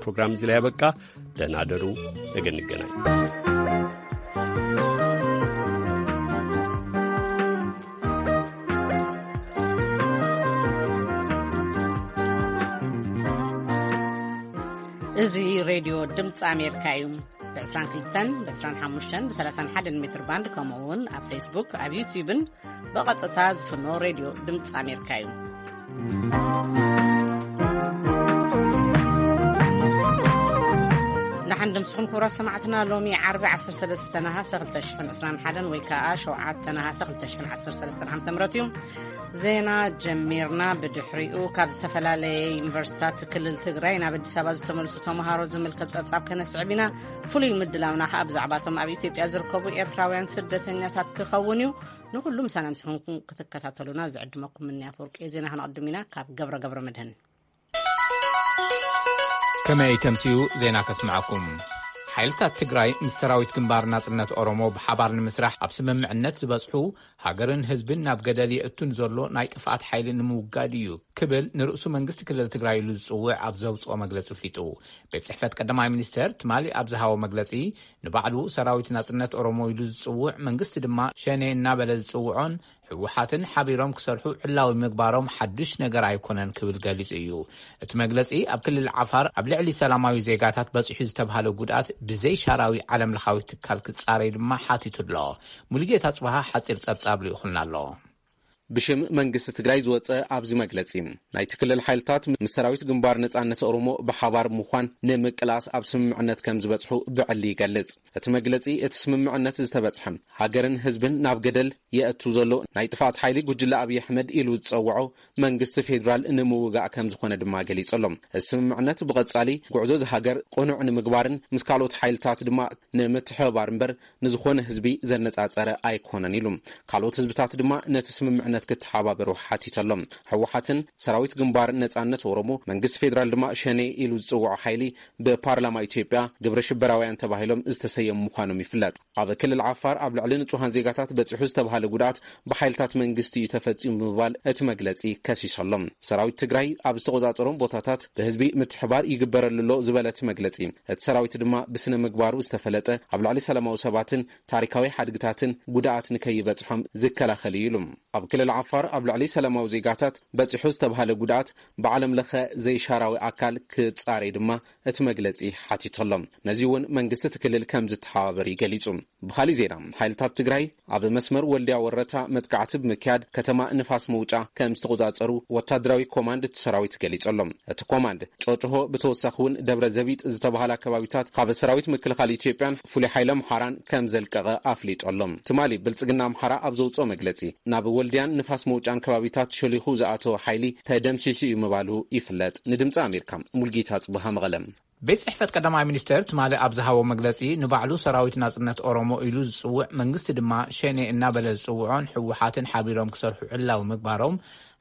ፕሮግራም እዚ ላይ ያበቃ። ደህና ደሩ። ነገ እንገናኝ። እዚ ሬድዮ ድምፂ ኣሜሪካ እዩ። ብ22፣ ብ25፣ ብ31 ሜትር ባንድ፣ ከምኡ እውን ኣብ ፌስቡክ፣ ኣብ ዩትዩብን ብቐጥታ ዝፍኖ ሬድዮ ድምፂ ኣሜሪካ እዩ። ንሓን ድምስኹም ክቡራት ሰማዕትና፣ ሎሚ ዓርቢ 13 ነሃሰ 2021 ወይ ከዓ 7 ነሃሰ 2013 ዓ.ም እዩ። ዜና ጀሚርና። ብድሕሪኡ ካብ ዝተፈላለየ ዩኒቨርሲታት ክልል ትግራይ ናብ ኣዲስ ኣበባ ዝተመልሱ ተምሃሮ ዝምልከት ጸብጻብ ከነስዕብ ኢና። ፍሉይ ምድላውና ከኣ ብዛዕባቶም ኣብ ኢትዮጵያ ዝርከቡ ኤርትራውያን ስደተኛታት ክኸውን እዩ። ንኹሉ ምሳና ምስ ኾንኩም ክትከታተሉና ዝዕድመኩም ምንያ ፍርቂ ዜና ከነቕድም ኢና። ካብ ገብረ ገብረ መድህን። ከመይ ተምስዩ ዜና ከስምዐኩም። ሓይልታት ትግራይ ምስ ሰራዊት ግንባር ናጽነት ኦሮሞ ብሓባር ንምስራሕ ኣብ ስምምዕነት ዝበጽሑ፣ ሃገርን ህዝብን ናብ ገደል የእቱን ዘሎ ናይ ጥፍኣት ሓይሊ ንምውጋድ እዩ ክብል ንርእሱ መንግስቲ ክልል ትግራይ ኢሉ ዝጽውዕ ኣብ ዘውጽኦ መግለጺ ኣፍሊጡ። ቤት ጽሕፈት ቀዳማይ ሚኒስተር ትማሊ ኣብ ዝሃቦ መግለጺ፣ ንባዕሉ ሰራዊት ናጽነት ኦሮሞ ኢሉ ዝጽውዕ፣ መንግስቲ ድማ ሸኔ እናበለ ዝጽውዖን ህወሓትን ሓቢሮም ክሰርሑ ዕላዊ ምግባሮም ሓዱሽ ነገር ኣይኮነን ክብል ገሊጹ እዩ። እቲ መግለጺ ኣብ ክልል ዓፋር ኣብ ልዕሊ ሰላማዊ ዜጋታት በጺሑ ዝተባህለ ጉድኣት ብዘይ ሻራዊ ዓለም ለኻዊ ትካል ክጻረይ ድማ ሓቲቱ ኣሎ። ሙሉጌታ ጽባሃ ሓጺር ጸብጻብ ልኢኹልና ኣሎ። ብሽም መንግስቲ ትግራይ ዝወጸ ኣብዚ መግለጺ፣ ናይቲ ክልል ሓይልታት ምስ ሰራዊት ግንባር ነጻነት ኦሮሞ ብሓባር ምዃን ንምቅላስ ኣብ ስምምዕነት ከም ዝበጽሑ ብዕሊ ይገልጽ። እቲ መግለጺ፣ እቲ ስምምዕነት ዝተበጽሐ፣ ሃገርን ህዝብን ናብ ገደል የእቱ ዘሎ ናይ ጥፍኣት ሓይሊ ጉጅለ ኣብይ ኣሕመድ ኢሉ ዝጸውዖ መንግስቲ ፌዴራል ንምውጋእ ከም ዝኾነ ድማ ገሊጹ ኣሎ። እዚ ስምምዕነት ብቐጻሊ ጉዕዞ እዚ ሃገር ቅኑዕ ንምግባርን ምስ ካልኦት ሓይልታት ድማ ንምትሕብባር እምበር ንዝኾነ ህዝቢ ዘነጻጸረ ኣይኮነን ኢሉ። ካልኦት ህዝብታት ድማ ነቲ ስምምዕነት ክተሓባበሩ ሓቲቱ ኣሎ። ህወሓትን ሰራዊት ግንባር ነጻነት ኦሮሞ፣ መንግስቲ ፌዴራል ድማ ሸኔ ኢሉ ዝጽውዖ ሓይሊ ብፓርላማ ኢትዮጵያ ግብረ ሽበራውያን ተባሂሎም ዝተሰየሙ ምዃኖም ይፍለጥ። ኣብ ክልል ዓፋር ኣብ ልዕሊ ንጹሃን ዜጋታት በጺሑ ዝተባህለ ጉድኣት ብሓይልታት መንግስቲ እዩ ተፈጺሙ ብምባል እቲ መግለጺ ከሲሱ ኣሎ። ሰራዊት ትግራይ ኣብ ዝተቖጻጸሮም ቦታታት ብህዝቢ ምትሕባር ይግበረሉ ኣሎ ዝበለ እቲ መግለጺ፣ እቲ ሰራዊት ድማ ብስነ ምግባሩ ዝተፈለጠ፣ ኣብ ልዕሊ ሰላማዊ ሰባትን ታሪካዊ ሓድግታትን ጉድኣት ንከይበጽሖም ዝከላኸል እዩ ኢሉ። ኣብ ክልል ዓፋር ኣብ ልዕሊ ሰላማዊ ዜጋታት በጺሑ ዝተባህለ ጉድኣት ብዓለም ለኸ ዘይሻራዊ ኣካል ክጻረይ ድማ እቲ መግለጺ ሓቲቱ ኣሎ። ነዚ እውን መንግስቲ እቲ ክልል ከም ዝተሓባበር እዩ ገሊጹ። ብኻሊእ ዜና፣ ሓይልታት ትግራይ ኣብ መስመር ወልድያ ወረታ መጥቃዕቲ ብምክያድ ከተማ ንፋስ መውጫ ከም ዝተቆጻጸሩ ወታደራዊ ኮማንድ እቲ ሰራዊት ገሊጹ ኣሎ። እቲ ኮማንድ ጨጭሆ ብተወሳኺ እውን ደብረ ዘቢጥ ዝተባሃላ ከባቢታት ካብ ሰራዊት ምክልኻል ኢትዮጵያን ፍሉይ ሓይሊ ኣምሓራን ከም ዘልቀቐ ኣፍሊጡ ኣሎ። ትማሊ ብልጽግና ኣምሓራ ኣብ ዘውጽኦ መግለጺ፣ ናብ ወልድያን ንፋስ መውጫን ከባቢታት ሸሊኹ ዝኣተወ ሓይሊ ተደምሲሱ እዩ ምባሉ ይፍለጥ። ንድምፂ ኣሜሪካ ሙልጌታ ጽቡሃ መቐለ። ቤት ጽሕፈት ቀዳማይ ሚኒስተር ትማሊ ኣብ ዝሃቦ መግለጺ፣ ንባዕሉ ሰራዊት ናጽነት ኦሮሞ ኢሉ ዝጽውዕ፣ መንግስቲ ድማ ሸኔ እናበለ ዝጽውዖን ህወሓትን ሓቢሮም ክሰርሑ ዕላዊ ምግባሮም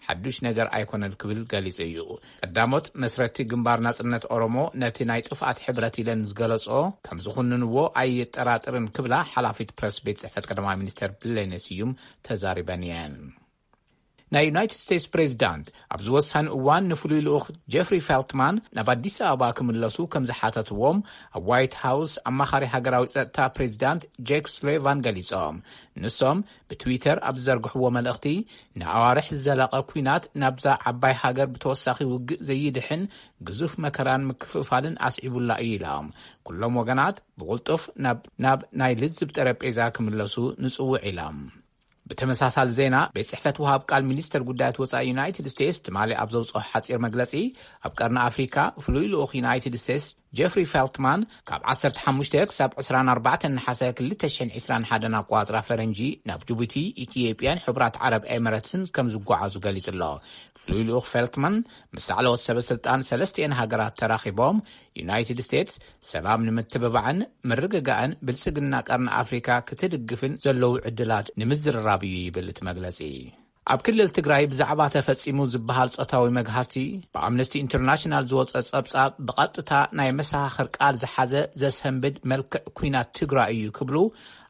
ሓዱሽ ነገር ኣይኮነን ክብል ገሊጹ እዩ። ቀዳሞት መስረቲ ግንባር ናጽነት ኦሮሞ ነቲ ናይ ጥፍኣት ሕብረት ኢለን ዝገለጾ ከም ዝኹንንዎ ኣይጠራጥርን ክብላ ሓላፊት ፕረስ ቤት ጽሕፈት ቀዳማይ ሚኒስተር ብሌነ ስዩም ተዛሪበን እየን። ናይ ዩናይትድ ስቴትስ ፕሬዚዳንት ኣብዚ ወሳኒ እዋን ንፍሉይ ልኡኽ ጀፍሪ ፌልትማን ናብ ኣዲስ ኣበባ ክምለሱ ከም ዝሓተትዎም ኣብ ዋይት ሃውስ ኣማኻሪ ሃገራዊ ጸጥታ ፕሬዚዳንት ጄክ ሱሊቫን ገሊጾም። ንሶም ብትዊተር ኣብ ዝዘርግሕዎ መልእኽቲ፣ ንኣዋርሕ ዝዘለቐ ኲናት ናብዛ ዓባይ ሃገር ብተወሳኺ ውግእ ዘይድሕን ግዙፍ መከራን ምክፍፋልን ኣስዒቡላ እዩ ኢሎም። ኩሎም ወገናት ብቕልጡፍ ናብ፣ ናብ ናይ ልዝብ ጠረጴዛ ክምለሱ ንጽውዕ ኢሎም። ብተመሳሳሊ ዜና፣ ቤት ጽሕፈት ወሃብ ቃል ሚኒስተር ጉዳያት ወጻኢ ዩናይትድ ስቴትስ ትማሊ ኣብ ዘውጽኦ ሓጺር መግለጺ፣ ኣብ ቀርኒ ኣፍሪካ ፍሉይ ልኡኽ ዩናይትድ ስቴትስ ጀፍሪ ፌልትማን ካብ 15 ክሳብ 24 ነሓሰ 2021 ኣቋጽራ ፈረንጂ ናብ ጅቡቲ፣ ኢትዮጵያን ሕቡራት ዓረብ ኤምረትስን ከም ዝጓዓዙ ገሊጹ ኣሎ። ፍሉይ ልኡኽ ፌልትማን ምስ ላዕለዎት ሰበ ስልጣን ሰለስቲኤን ሃገራት ተራኺቦም፣ ዩናይትድ ስቴትስ ሰላም ንምትብባዕን ምርግጋእን ብልጽግና ቀርኒ ኣፍሪካ ክትድግፍን ዘለዉ ዕድላት ንምዝርራብ እዩ ይብል እቲ መግለጺ። ኣብ ክልል ትግራይ ብዛዕባ ተፈጺሙ ዝበሃል ጾታዊ መግሃስቲ ብኣምነስቲ ኢንተርናሽናል ዝወጸ ጸብጻብ ብቐጥታ ናይ መሰኻኽር ቃል ዝሓዘ ዘሰንብድ መልክዕ ኲናት ትግራይ እዩ ክብሉ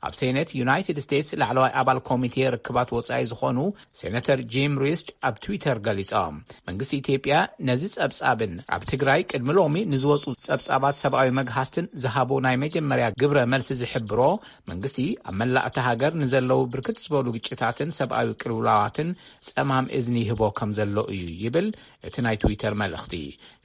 ኣብ ሴኔት ዩናይትድ ስቴትስ ላዕለዋይ ኣባል ኮሚቴ ርክባት ወጻኢ ዝኾኑ ሴነተር ጂም ሪስች ኣብ ትዊተር ገሊጾም። መንግስቲ ኢትዮጵያ ነዚ ጸብጻብን ኣብ ትግራይ ቅድሚ ሎሚ ንዝወጹ ጸብጻባት ሰብኣዊ መግሃስትን ዝሃቦ ናይ መጀመርያ ግብረ መልሲ ዝሕብሮ፣ መንግስቲ ኣብ መላእ እታ ሃገር ንዘለዉ ብርክት ዝበሉ ግጭታትን ሰብኣዊ ቅልውላዋትን ጸማም እዝኒ ይህቦ ከም ዘሎ እዩ ይብል እቲ ናይ ትዊተር መልእኽቲ።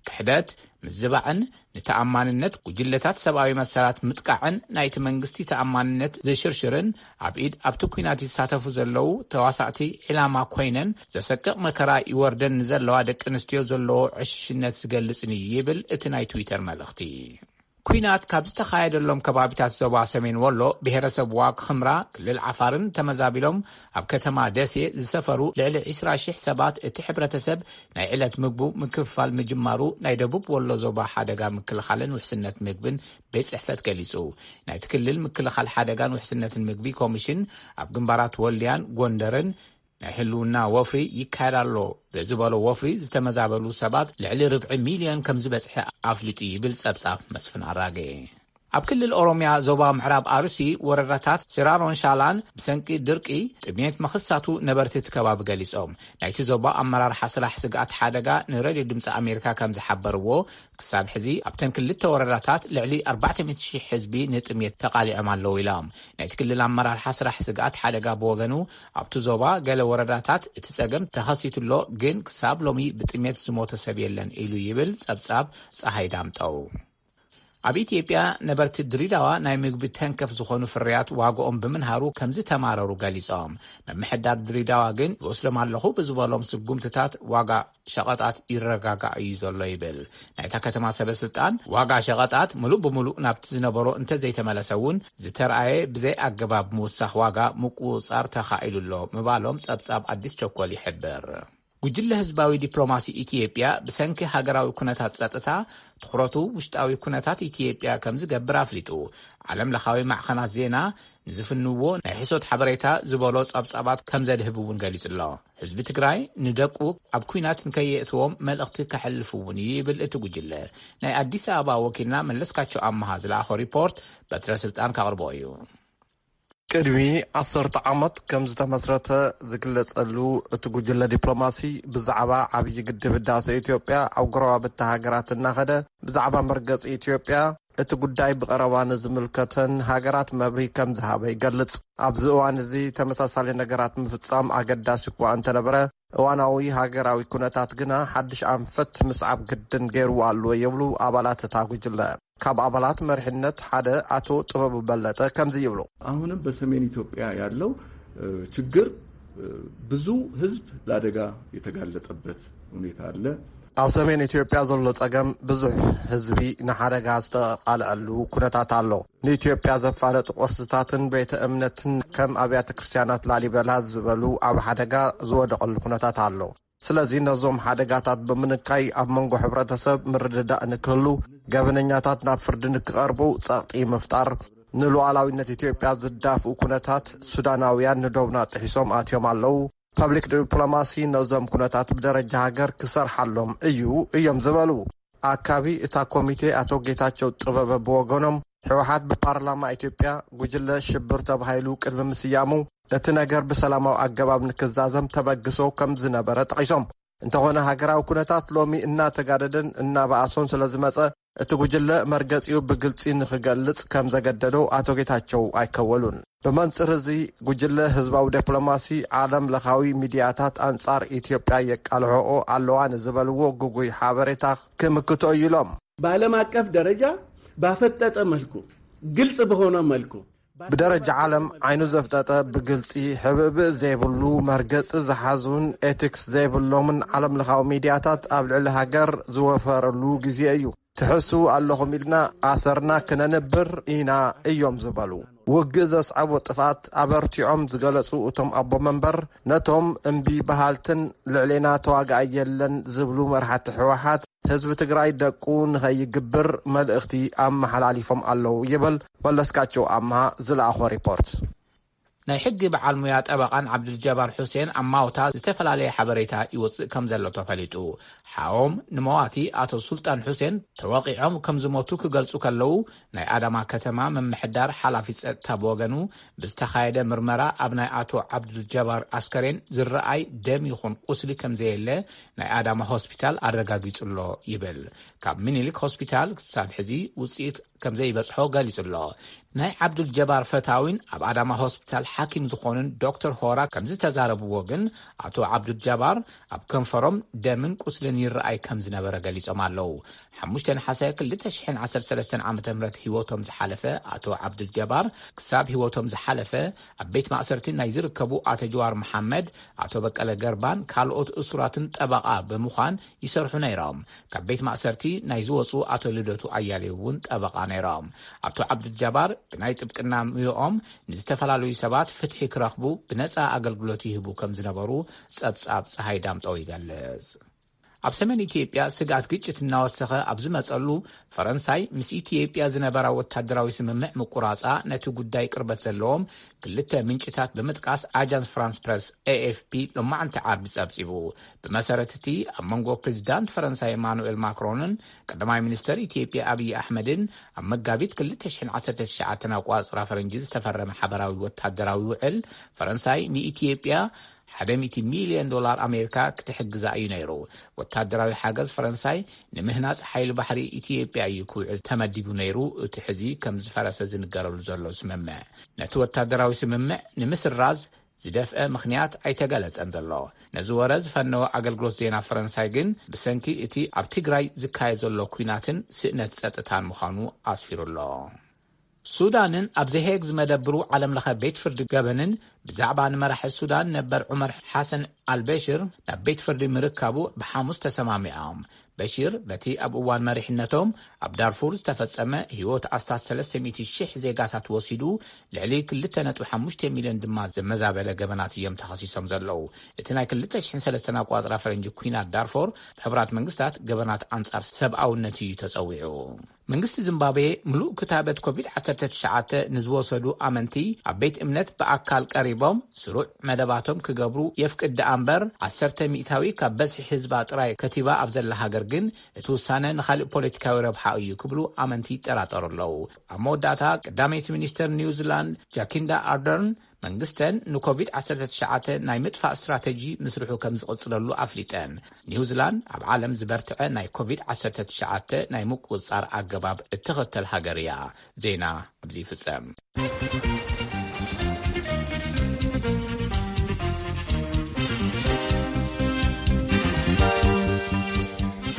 ክሕደት፣ ምዝባዕን ንተኣማንነት ጉጅለታት ሰብኣዊ መሰላት ምጥቃዕን ናይቲ መንግስቲ ተኣማንነት ዝሽርሽርን ኣብ ኢድ ኣብቲ ኲናት ይሳተፉ ዘለዉ ተዋሳእቲ ዒላማ ኮይነን ዘሰቅቕ መከራ ይወርደን ንዘለዋ ደቂ ኣንስትዮ ዘለዎ ዕሽሽነት ዝገልጽን እዩ ይብል እቲ ናይ ትዊተር መልእኽቲ። ኲናት ካብ ዝተኻየደሎም ከባቢታት ዞባ ሰሜን ወሎ ብሄረሰብ ዋግ ኽምራ ክልል ዓፋርን ተመዛቢሎም ኣብ ከተማ ደሴ ዝሰፈሩ ልዕሊ ዕስራ ሺሕ ሰባት እቲ ሕብረተሰብ ናይ ዕለት ምግቡ ምክፍፋል ምጅማሩ ናይ ደቡብ ወሎ ዞባ ሓደጋ ምክልኻልን ውሕስነት ምግብን ቤት ጽሕፈት ገሊጹ። ናይቲ ክልል ምክልኻል ሓደጋን ውሕስነትን ምግቢ ኮሚሽን ኣብ ግንባራት ወልድያን ጎንደርን ናይ ህልውና ወፍሪ ይካየድ ኣሎ ብዝበሎ ወፍሪ ዝተመዛበሉ ሰባት ልዕሊ ርብዒ ሚልዮን ከም ዝበጽሐ ኣፍሊጡ ይብል ጸብጻብ መስፍን ኣራጌ። ኣብ ክልል ኦሮምያ ዞባ ምዕራብ ኣርሲ ወረዳታት ሽራሮን ሻላን ብሰንኪ ድርቂ ጥሜት መኽሳቱ ነበርቲ እቲ ከባቢ ገሊጾም። ናይቲ ዞባ ኣመራርሓ ስራሕ ስግኣት ሓደጋ ንሬድዮ ድምፂ ኣሜሪካ ከም ዝሓበርዎ ክሳብ ሕዚ ኣብተን ክልተ ወረዳታት ልዕሊ ኣርባዕተ ሚእቲ ሺሕ ህዝቢ ንጥሜት ተቓሊዖም ኣለዉ ኢሎም። ናይቲ ክልል ኣመራርሓ ስራሕ ስግኣት ሓደጋ ብወገኑ ኣብቲ ዞባ ገለ ወረዳታት እቲ ጸገም ተኸሲቱ ኣሎ፣ ግን ክሳብ ሎሚ ብጥሜት ዝሞተ ሰብ የለን ኢሉ ይብል ጸብጻብ ጸሃይ ዳምጠው። ኣብ ኢትዮጵያ ነበርቲ ድሪዳዋ ናይ ምግቢ ተንከፍ ዝኾኑ ፍርያት ዋጋኦም ብምንሃሩ ከም ዝተማረሩ ገሊጾም። ምምሕዳር ድሪዳዋ ግን ይወስዶም ኣለኹ ብዝበሎም ስጉምትታት ዋጋ ሸቐጣት ይረጋጋእ እዩ ዘሎ ይብል። ናይታ ከተማ ሰበ ስልጣን ዋጋ ሸቐጣት ሙሉእ ብሙሉእ ናብቲ ዝነበሮ እንተዘይተመለሰ እውን ዝተረኣየ ብዘይ ኣገባብ ምውሳኽ ዋጋ ምቁጽጻር ተኻኢሉ ኣሎ ምባሎም ጸብጻብ ኣዲስ ቸኮል ይሕብር። ጉጅለ ህዝባዊ ዲፕሎማሲ ኢትዮጵያ ብሰንኪ ሃገራዊ ኩነታት ጸጥታ ትኹረቱ ውሽጣዊ ኩነታት ኢትዮጵያ ከም ዝገብር ኣፍሊጡ። ዓለም ለኻዊ ማዕኸናት ዜና ንዝፍንዎ ናይ ሕሶት ሓበሬታ ዝበሎ ጸብጻባት ከም ዘድህብ እውን ገሊጹ ኣሎ። ህዝቢ ትግራይ ንደቁ ኣብ ኲናት ንከየእትዎም መልእኽቲ ከሕልፍ እውን እዩ ይብል እቲ ጉጅለ። ናይ ኣዲስ ኣበባ ወኪልና መለስካቸው ኣመሃ ዝለኣኾ ሪፖርት በትረ ስልጣን ካቕርቦ እዩ። ቅድሚ ዓሰርተ ዓመት ከም ዝተመስረተ ዝግለጸሉ እቲ ጉጅለ ዲፕሎማሲ ብዛዕባ ዓብዪ ግድብ ህዳሴ ኢትዮጵያ ኣብ ጎረባብቲ ሃገራት እናኸደ ብዛዕባ መርገጺ ኢትዮጵያ እቲ ጉዳይ ብቐረባ ንዝምልከተን ሃገራት መብርሂ ከም ዝሃበ ይገልጽ። ኣብዚ እዋን እዚ ተመሳሳሊ ነገራት ምፍጻም ኣገዳሲ እኳ እንተነበረ፣ እዋናዊ ሃገራዊ ኩነታት ግና ሓድሽ ኣንፈት ምስዓብ ግድን ገይርዎ ኣሎ ይብሉ ኣባላት እታ ጉጅለ። ካብ ኣባላት መሪሕነት ሓደ ኣቶ ጥበቡ በለጠ ከምዚ ይብሉ። አሁንም በሰሜን ኢትዮጵያ ያለው እ፣ ችግር እ፣ ብዙ ህዝብ ለአደጋ የተጋለጠበት ሁኔታ አለ። ኣብ ሰሜን ኢትዮጵያ ዘሎ ጸገም ብዙሕ ህዝቢ ንሓደጋ ዝተቓልዐሉ ኩነታት ኣሎ። ንኢትዮጵያ ዘፋለጡ ቅርስታትን ቤተ እምነትን ከም ኣብያተ ክርስቲያናት ላሊበላ ዝበሉ ኣብ ሓደጋ ዝወደቐሉ ኩነታት ኣሎ። ስለዚ ነዞም ሓደጋታት ብምንካይ ኣብ መንጎ ሕብረተሰብ ምርድዳእ ንክህሉ፣ ገበነኛታት ናብ ፍርዲ ንክቐርቡ ጸቕጢ ምፍጣር፣ ንሉዓላዊነት ኢትዮጵያ ዝዳፍኡ ኩነታት ሱዳናውያን ንዶብና ጥሒሶም ኣትዮም ኣለዉ። ፐብሊክ ዲፕሎማሲ ነዞም ኩነታት ብደረጃ ሃገር ክሰርሓሎም እዩ እዮም ዝበሉ። ኣካቢ እታ ኮሚቴ ኣቶ ጌታቸው ጥበበ ብወገኖም፣ ህወሓት ብፓርላማ ኢትዮጵያ ጉጅለ ሽብር ተባሂሉ ቅድሚ ምስያሙ፣ እቲ ነገር ብሰላማዊ ኣገባብ ንክዛዘም ተበግሶ ከም ዝነበረ ጠቒሶም፣ እንተኾነ ሃገራዊ ኩነታት ሎሚ እናተጋደደን እናበኣሶን ስለ ዝመጸ፣ እቲ ጉጅለ መርገጺኡ ብግልጺ ንክገልጽ ከም ዘገደዶ ኣቶ ጌታቸው ኣይከወሉን። ብመንጽር እዚ፣ ጉጅለ ህዝባዊ ዲፕሎማሲ ዓለም ለኻዊ ሚድያታት ኣንጻር ኢትዮጵያ የቃልሖኦ ኣለዋ ንዝበልዎ ግጉይ ሓበሬታ ክምክቶ እዩ ኢሎም። በዓለም አቀፍ ደረጃ ባፈጠጠ መልኩ፣ ግልጽ በሆነ መልኩ፣ ብደረጃ ዓለም ዓይኑ ዘፍጠጠ፣ ብግልጺ ሕብእብእ ዘይብሉ መርገጺ ዝሓዙን ኤቲክስ ዘይብሎምን ዓለም ለኻዊ ሚድያታት ኣብ ልዕሊ ሃገር ዝወፈረሉ ግዜ እዩ። ትሕስዉ ኣለኹም ኢልና ኣሰርና ክነንብር ኢና እዮም ዝበሉ። ውግእ ዘስዓቦ ጥፍኣት ኣበርቲዖም ዝገለጹ እቶም ኣቦ መንበር፣ ነቶም እምቢ በሃልትን ልዕሌና ተዋጋኣይ የለን ዝብሉ መራሕቲ ህወሓት፣ ህዝቢ ትግራይ ደቁ ንኸይግብር መልእኽቲ ኣመሓላሊፎም ኣለዉ ይብል መለስካቸው ኣምሃ ዝለኣኾ ሪፖርት። ናይ ሕጊ በዓል ሙያ ጠበቓን ዓብዱልጀባር ሑሴን ኣማውታ ዝተፈላለየ ሓበሬታ ይወፅእ ከም ዘሎ ተፈሊጡ። ሓዎም ንመዋቲ ኣቶ ሱልጣን ሑሴን ተወቒዖም ከም ዝሞቱ ክገልጹ ከለዉ፣ ናይ ኣዳማ ከተማ ምምሕዳር ሓላፊ ጸጥታ ብወገኑ፣ ብዝተኻየደ ምርመራ ኣብ ናይ ኣቶ ዓብዱልጀባር ኣስከሬን ዝረኣይ ደም ይኹን ቁስሊ ከም ዘየለ ናይ ኣዳማ ሆስፒታል ኣረጋጊጹ ኣሎ ይብል። ካብ ሚኒሊክ ሆስፒታል ክሳብ ሕዚ ውጽኢት ከም ዘይበጽሖ ገሊጹ ኣሎ። ናይ ዓብዱል ጀባር ፈታዊን ኣብ ኣዳማ ሆስፒታል ሓኪም ዝኾኑን ዶክተር ሆራ ከም ዝተዛረብዎ ግን፣ ኣቶ ዓብዱል ጀባር ኣብ ከንፈሮም ደምን ቁስልን ይረኣይ ከም ዝነበረ ገሊጾም ኣለዉ። ሓሙሽተ ነሓሰ ክልተ ሽሕን ዓሰርተ ሰለስተን ዓመተ ምህረት ህይወቶም ዝሓለፈ ኣቶ ዓብዱል ጀባር፣ ክሳብ ህይወቶም ዝሓለፈ ኣብ ቤት ማእሰርቲ ናይ ዝርከቡ ኣቶ ጀዋር መሓመድ፣ ኣቶ በቀለ ገርባን ካልኦት እሱራትን ጠበቓ ብምዃን ይሰርሑ ነይሮም። ካብ ቤት ማእሰርቲ ናይ ዝወፁ ኣቶ ልደቱ ኣያሌው እውን ጠበቓ ነይሮም። ኣቶ ዓብዱል ጀባር ብናይ ጥብቅና ሙያኦም ንዝተፈላለዩ ሰባት ፍትሒ ክረኽቡ ብነፃ ኣገልግሎት ይህቡ ከም ዝነበሩ ጸብጻብ ፀሃይ ዳምጠው ይገልጽ። ኣብ ሰሜን ኢትዮጵያ ስግኣት ግጭት እናወሰኸ ኣብ ዝመጸሉ፣ ፈረንሳይ ምስ ኢትዮጵያ ዝነበራ ወታደራዊ ስምምዕ ምቁራጻ ነቲ ጉዳይ ቅርበት ዘለዎም ክልተ ምንጭታት ብምጥቃስ ኣጃንስ ፍራንስ ፕረስ፣ ኤ ኤፍ ፒ፣ ሎማዕንቲ ዓርቢ ጸብጺቡ። ብመሰረት እቲ ኣብ መንጎ ፕሬዚዳንት ፈረንሳይ ኤማኑኤል ማክሮንን ቀዳማይ ሚኒስተር ኢትዮጵያ ኣብይ ኣሕመድን ኣብ መጋቢት ክልተ ሽሕን ዓሰርተ ትሽዓተን ኣቋጽራ ፈረንጂ ዝተፈረመ ሓበራዊ ወታደራዊ ውዕል፣ ፈረንሳይ ንኢትዮጵያ ሓደ ሚእቲ ሚልዮን ዶላር ኣሜሪካ ክትሕግዛ እዩ ነይሩ። ወታደራዊ ሓገዝ ፈረንሳይ ንምህናጽ ሓይሊ ባሕሪ ኢትዮጵያ እዩ ክውዕል ተመዲቡ ነይሩ፣ እቲ ሕዚ ከም ዝፈረሰ ዝንገረሉ ዘሎ ስምምዕ። ነቲ ወታደራዊ ስምምዕ ንምስራዝ ዝደፍአ ምኽንያት ኣይተገለጸን ዘሎ። ነዚ ወረ ዝፈነወ ኣገልግሎት ዜና ፈረንሳይ ግን፣ ብሰንኪ እቲ ኣብ ትግራይ ዝካየድ ዘሎ ኲናትን ስእነት ጸጥታን ምዃኑ ኣስፊሩ ኣሎ። ሱዳንን ኣብ ዘሄግ ዝመደብሩ ዓለምለኸ ቤት ፍርዲ ገበንን ብዛዕባ ንመራሒ ሱዳን ነበር ዑመር ሓሰን ኣልበሽር ናብ ቤት ፍርዲ ምርካቡ ብሓሙስ ተሰማሚዖም። በሺር በቲ ኣብ እዋን መሪሕነቶም ኣብ ዳርፉር ዝተፈጸመ ህይወት ኣስታት ሰለስተ ሚእቲ ሽሕ ዜጋታት ወሲዱ፣ ልዕሊ ክልተ ነጥቢ ሓሙሽተ ሚልዮን ድማ ዘመዛበለ ገበናት እዮም ተኸሲሶም ዘለዉ። እቲ ናይ ክልተ ሽሕን ሰለስተን ኣቋጽራ ፈረንጂ ኲናት ዳርፎር ብሕቡራት መንግስታት ገበናት ኣንጻር ሰብኣውነት እዩ ተጸዊዑ። መንግስቲ ዚምባብዌ ምሉእ ክታበት ኮቪድ ዓሰርተ ትሽዓተ ንዝወሰዱ ኣመንቲ ኣብ ቤት እምነት ብኣካል ቀሪቦም ስሩዕ መደባቶም ክገብሩ የፍቅድ ደኣ እምበር፣ ዓሰርተ ሚእታዊ ካብ በዝሒ ህዝባ ጥራይ ከቲባ ኣብ ዘላ ሃገር ግን እቲ ውሳነ ንኻልእ ፖለቲካዊ ረብሓ እዩ ክብሉ ኣመንቲ ይጠራጠሩ ኣለዉ። ኣብ መወዳእታ ቀዳመይቲ ሚኒስተር ኒውዚላንድ ጃኪንዳ ኣርደርን መንግስተን ንኮቪድ ዓሰርተ ትሽዓተ ናይ ምጥፋእ ስትራተጂ ምስርሑ ከም ዝቕጽለሉ ኣፍሊጠን። ኒውዚላንድ ኣብ ዓለም ዝበርትዐ ናይ ኮቪድ ዓሰርተ ትሽዓተ ናይ ምቁጽጻር ኣገባብ እትኽተል ሃገር እያ። ዜና ኣብዚ ይፍጸም።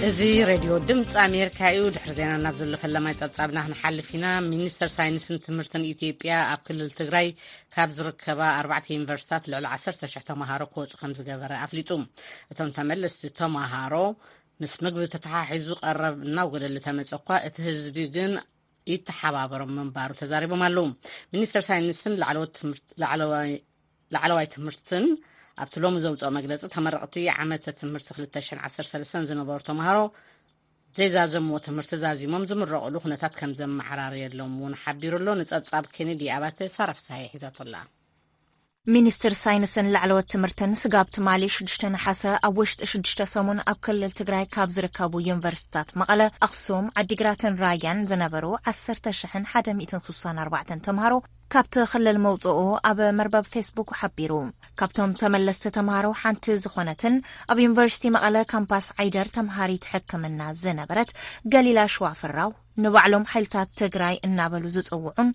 እዚ ሬድዮ ድምፂ ኣሜሪካ እዩ። ድሕሪ ዜና ናብ ዘሎ ፈለማይ ጸብጻብና ክንሓልፍ ኢና። ሚኒስተር ሳይንስን ትምህርትን ኢትዮጵያ ኣብ ክልል ትግራይ ካብ ዝርከባ ኣርባዕተ ዩኒቨርሲታት ልዕሊ ዓሰርተ ሽሕ ተምሃሮ ክወፁ ከም ዝገበረ ኣፍሊጡ። እቶም ተመለስቲ ተምሃሮ ምስ ምግቢ ተተሓሒዙ ቀረብ እናወደለ ተመፀ እኳ እቲ ህዝቢ ግን ይተሓባበሮም ምንባሩ ተዛሪቦም ኣለዉ። ሚኒስተር ሳይንስን ላዕለዎት ትምህርት-፣ ላዕለዋይ ላዕለዋይ ትምህርትን ኣብቲ ሎሚ ዘውፅኦ መግለፂ፣ ተመረቕቲ ዓመተ ትምህርቲ ክልተ ሽሕን ዓሰርተ ሰለስተን ዝነበሩ ተምሃሮ ዘይዛዘምዎ ትምህርቲ ዛዚሞም ዝምረቕሉ ኩነታት ከም ዘመዓራረየሎም እውን ሓቢሩ ኣሎ። ንፀብፃብ ኬኔዲ ኣባተ ሳራ ፍስሃየ ሒዛቶ ኣላ። ሚኒስትር ሳይንስን ላዕለዎት ትምህርትን ስጋብ ትማሊ ሽዱሽተ ነሓሰ ኣብ ውሽጢ ሽዱሽተ ሰሙን ኣብ ክልል ትግራይ ካብ ዝርከቡ ዩኒቨርሲቲታት መቐለ፣ ኣኽሱም፣ ዓዲግራትን ራያን ዝነበሩ ዓሰርተ ሽሕን ሓደ ሚእትን ስሳን ኣርባዕተን ተምሃሮ ካብቲ ክልል መውፅኡ ኣብ መርበብ ፌስቡክ ሓቢሩ። ካብቶም ተመለስቲ ተምሃሮ ሓንቲ ዝኾነትን ኣብ ዩኒቨርሲቲ መቐለ ካምፓስ ዓይደር ተምሃሪት ሕክምና ዝነበረት ገሊላ ሽዋፍራው፣ ንባዕሎም ሓይልታት ትግራይ እናበሉ ዝፅውዑን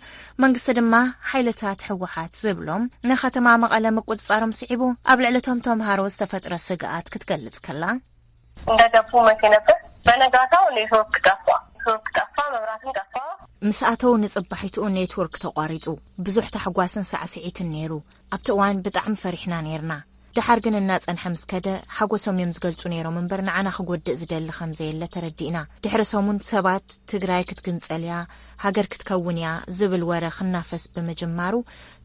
መንግስቲ ድማ ሓይልታት ህወሓት ዝብሎም ንከተማ መቐለ ምቁፅፃሮም ስዒቡ ኣብ ልዕሊ እቶም ተምሃሮ ዝተፈጥረ ስግኣት ክትገልፅ ከላ፣ እንደገቡ መቼ ነበር? በነጋታው ኔትወርክ ጠፋ። ኔትወርክ ጠፋ፣ መብራትም ጠፋ። ምስ ኣተው ንጽባሒትኡ ኔትወርክ ተቋሪጹ። ብዙሕ ታሕጓስን ሳዕስዒትን ነይሩ። ኣብቲ እዋን ብጣዕሚ ፈሪሕና ነይርና። ደሓር ግን እናጸንሐ ምስ ከደ፣ ሓጎሶም እዮም ዝገልጹ ነይሮም እምበር፣ ንዓና ክጎድእ ዝደሊ ከም ዘየለ ተረዲእና። ድሕሪ ሰሙን ሰባት ትግራይ ክትግንጸል እያ፣ ሃገር ክትከውን እያ ዝብል ወረ ክናፈስ ብምጅማሩ፣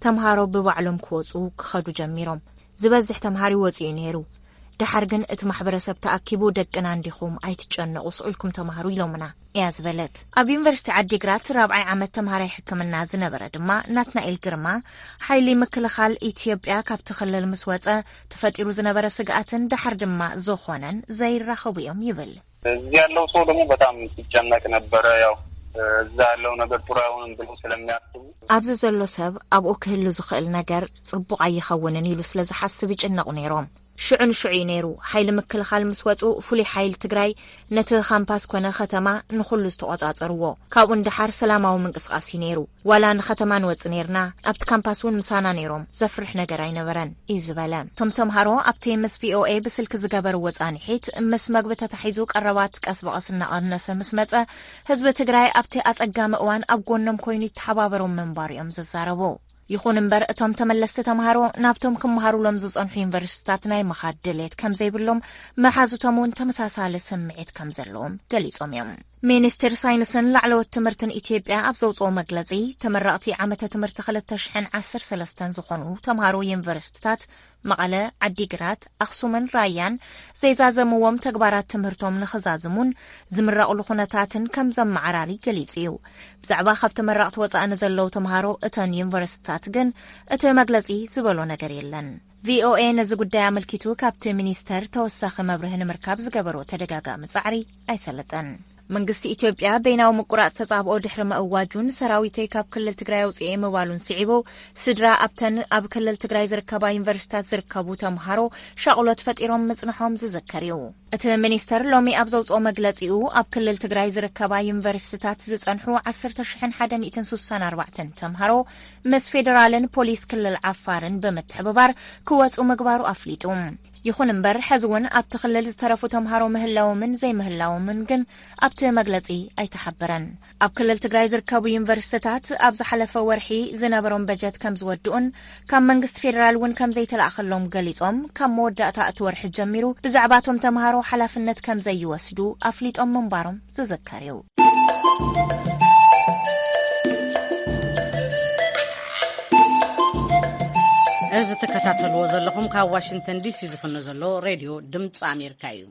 ተምሃሮ ብባዕሎም ክወጹ ክኸዱ ጀሚሮም። ዝበዝሕ ተምሃሪ ወጺኡ ነይሩ። ደሓር ግን እቲ ማሕበረሰብ ተኣኪቡ፣ "ደቅና እንዲኹም፣ ኣይትጨነቑ፣ ስቕ ኢልኩም ተማሃሩ" ኢሎምና እያ ዝበለት። ኣብ ዩኒቨርሲቲ ዓዲግራት ራብዓይ ዓመት ተምሃራይ ሕክምና ዝነበረ ድማ ናትናኤል ግርማ፣ ሓይሊ ምክልኻል ኢትዮጵያ ካብቲ ክልል ምስ ወጸ፣ ተፈጢሩ ዝነበረ ስግኣትን ደሓር ድማ ዝኾነን ዘይራኸቡ እዮም ይብል። እዚህ ያለው ሰው ደግሞ በጣም ሲጨነቅ ነበረ። ያው እዛ ያለው ነገር ጥሩ አይሆንም ብሎ ስለሚያስቡ። ኣብዚ ዘሎ ሰብ ኣብኡ ክህሉ ዝኽእል ነገር ጽቡቕ ኣይኸውንን ኢሉ ስለ ዝሓስብ ይጭነቑ ነይሮም። ሽዑ ንሽዑ እዩ ነይሩ። ሓይሊ ምክልኻል ምስ ወጹ፣ ፍሉይ ሓይሊ ትግራይ ነቲ ካምፓስ ኮነ ከተማ ንኹሉ ዝተቖጻጸርዎ። ካብኡ ንደሓር ሰላማዊ ምንቅስቓስ እዩ ነይሩ። ዋላ ንከተማ ንወጽእ ነይርና፣ ኣብቲ ካምፓስ እውን ምሳና ነይሮም፣ ዘፍርሕ ነገር ኣይነበረን እዩ ዝበለ። እቶም ተምሃሮ ኣብቲ ምስ ቪኦኤ ብስልኪ ዝገበርዎ ጻንሒት፣ ምስ መግቢ ተታሒዙ ቀረባት ቀስ ብቐስ እናቐነሰ ምስ መጸ፣ ህዝቢ ትግራይ ኣብቲ ኣጸጋሚ እዋን ኣብ ጎኖም ኮይኑ ይተሓባበሮም ምንባሩ እዮም ዝዛረቡ። ይኹን እምበር፣ እቶም ተመለስቲ ተምሃሮ ናብቶም ክመሃሩሎም ዝጸንሑ ዩኒቨርሲቲታት ናይ ምኻድ ድሌት ከም ዘይብሎም፣ መሓዙቶም እውን ተመሳሳሊ ስምዒት ከም ዘለዎም ገሊጾም እዮም። ሚኒስቴር ሳይንስን ላዕለዎት ትምህርትን ኢትዮጵያ ኣብ ዘውጽኦ መግለጺ፣ ተመረቕቲ ዓመተ ትምህርቲ ክልተ ሽሕን ዓሰርተ ሰለስተን ዝኾኑ ተምሃሮ ዩኒቨርሲቲታት መቐለ፣ ዓዲግራት፣ ኣኽሱምን ራያን ዘይዛዘምዎም ተግባራት ትምህርቶም ንኽዛዝሙን ዝምረቕሉ ኩነታትን ከም ዘመዓራሪ ገሊጹ እዩ። ብዛዕባ ካብ ተመረቕቲ ወጻኢ ንዘለዉ ተምሃሮ እተን ዩኒቨርሲቲታት ግን እቲ መግለጺ ዝበሎ ነገር የለን። ቪኦኤ ነዚ ጉዳይ ኣመልኪቱ ካብቲ ሚኒስተር ተወሳኺ መብርሂ ንምርካብ ዝገበሮ ተደጋጋሚ ጻዕሪ ኣይሰለጠን። መንግስቲ ኢትዮጵያ በይናዊ ምቁራጽ ተጻብኦ ድሕሪ ምእዋጁን ሰራዊተይ ካብ ክልል ትግራይ ኣውጽኤ ምባሉን ስዒቡ፣ ስድራ ኣብተን ኣብ ክልል ትግራይ ዝርከባ ዩኒቨርሲታት ዝርከቡ ተምሃሮ ሻቕሎት ፈጢሮም ምጽንሖም ዝዝከር እዩ። እቲ ሚኒስተር ሎሚ ኣብ ዘውጽኦ መግለጺኡ፣ ኣብ ክልል ትግራይ ዝርከባ ዩኒቨርሲታት ዝጸንሑ ዓሰርተ ሽሕን ሓደ ሚእትን ስሳን ኣርባዕተን ተምሃሮ ምስ ፌደራልን ፖሊስ ክልል ዓፋርን ብምትሕብባር ክወጹ ምግባሩ ኣፍሊጡ። ይኹን እምበር፣ ሕዚ እውን ኣብቲ ክልል ዝተረፉ ተምሃሮ ምህላዎምን ዘይምህላዎምን ግን ኣብቲ መግለጺ ኣይተሓበረን። ኣብ ክልል ትግራይ ዝርከቡ ዩኒቨርሲታት ኣብ ዝሓለፈ ወርሒ ዝነበሮም በጀት ከም ዝወድኡን ካብ መንግስቲ ፌደራል እውን ከም ዘይተላእኸሎም ገሊጾም፣ ካብ መወዳእታ እቲ ወርሒ ጀሚሩ ብዛዕባ እቶም ተምሃሮ ሓላፍነት ከም ዘይወስዱ ኣፍሊጦም ምንባሮም ዝዝከር እዩ። እዚ ትከታተልዎ ዘለኹም ካብ ዋሽንግተን ዲሲ ዝፍኖ ዘሎ ሬድዮ ድምፂ ኣሜሪካ እዩ።